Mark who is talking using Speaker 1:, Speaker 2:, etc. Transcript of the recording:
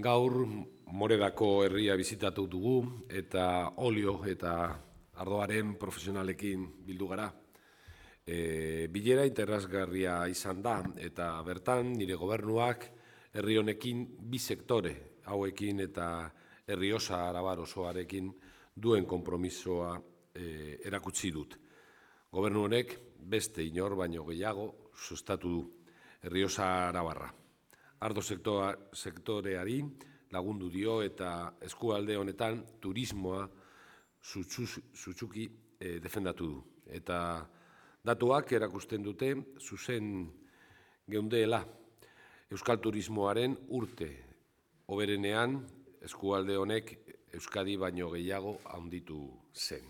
Speaker 1: Gaur Morerako herria bizitatu dugu eta olio eta ardoaren profesionalekin bildu gara. Bilera interesgarria izan da eta bertan nire gobernuak herri honekin bi sektore hauekin eta Errioxa Arabar osoarekin duen konpromisoa erakutsi dut. Gobernu honek beste inor baino gehiago sustatu du Errioxa Arabarra. Ardo sektoreari lagundu dio eta eskualde honetan turismoa sutsuki defendatu du. Eta datuak erakusten dute zuzen geundeela euskal turismoaren urte hoberenean eskualde honek Euskadi baino gehiago handitu zen.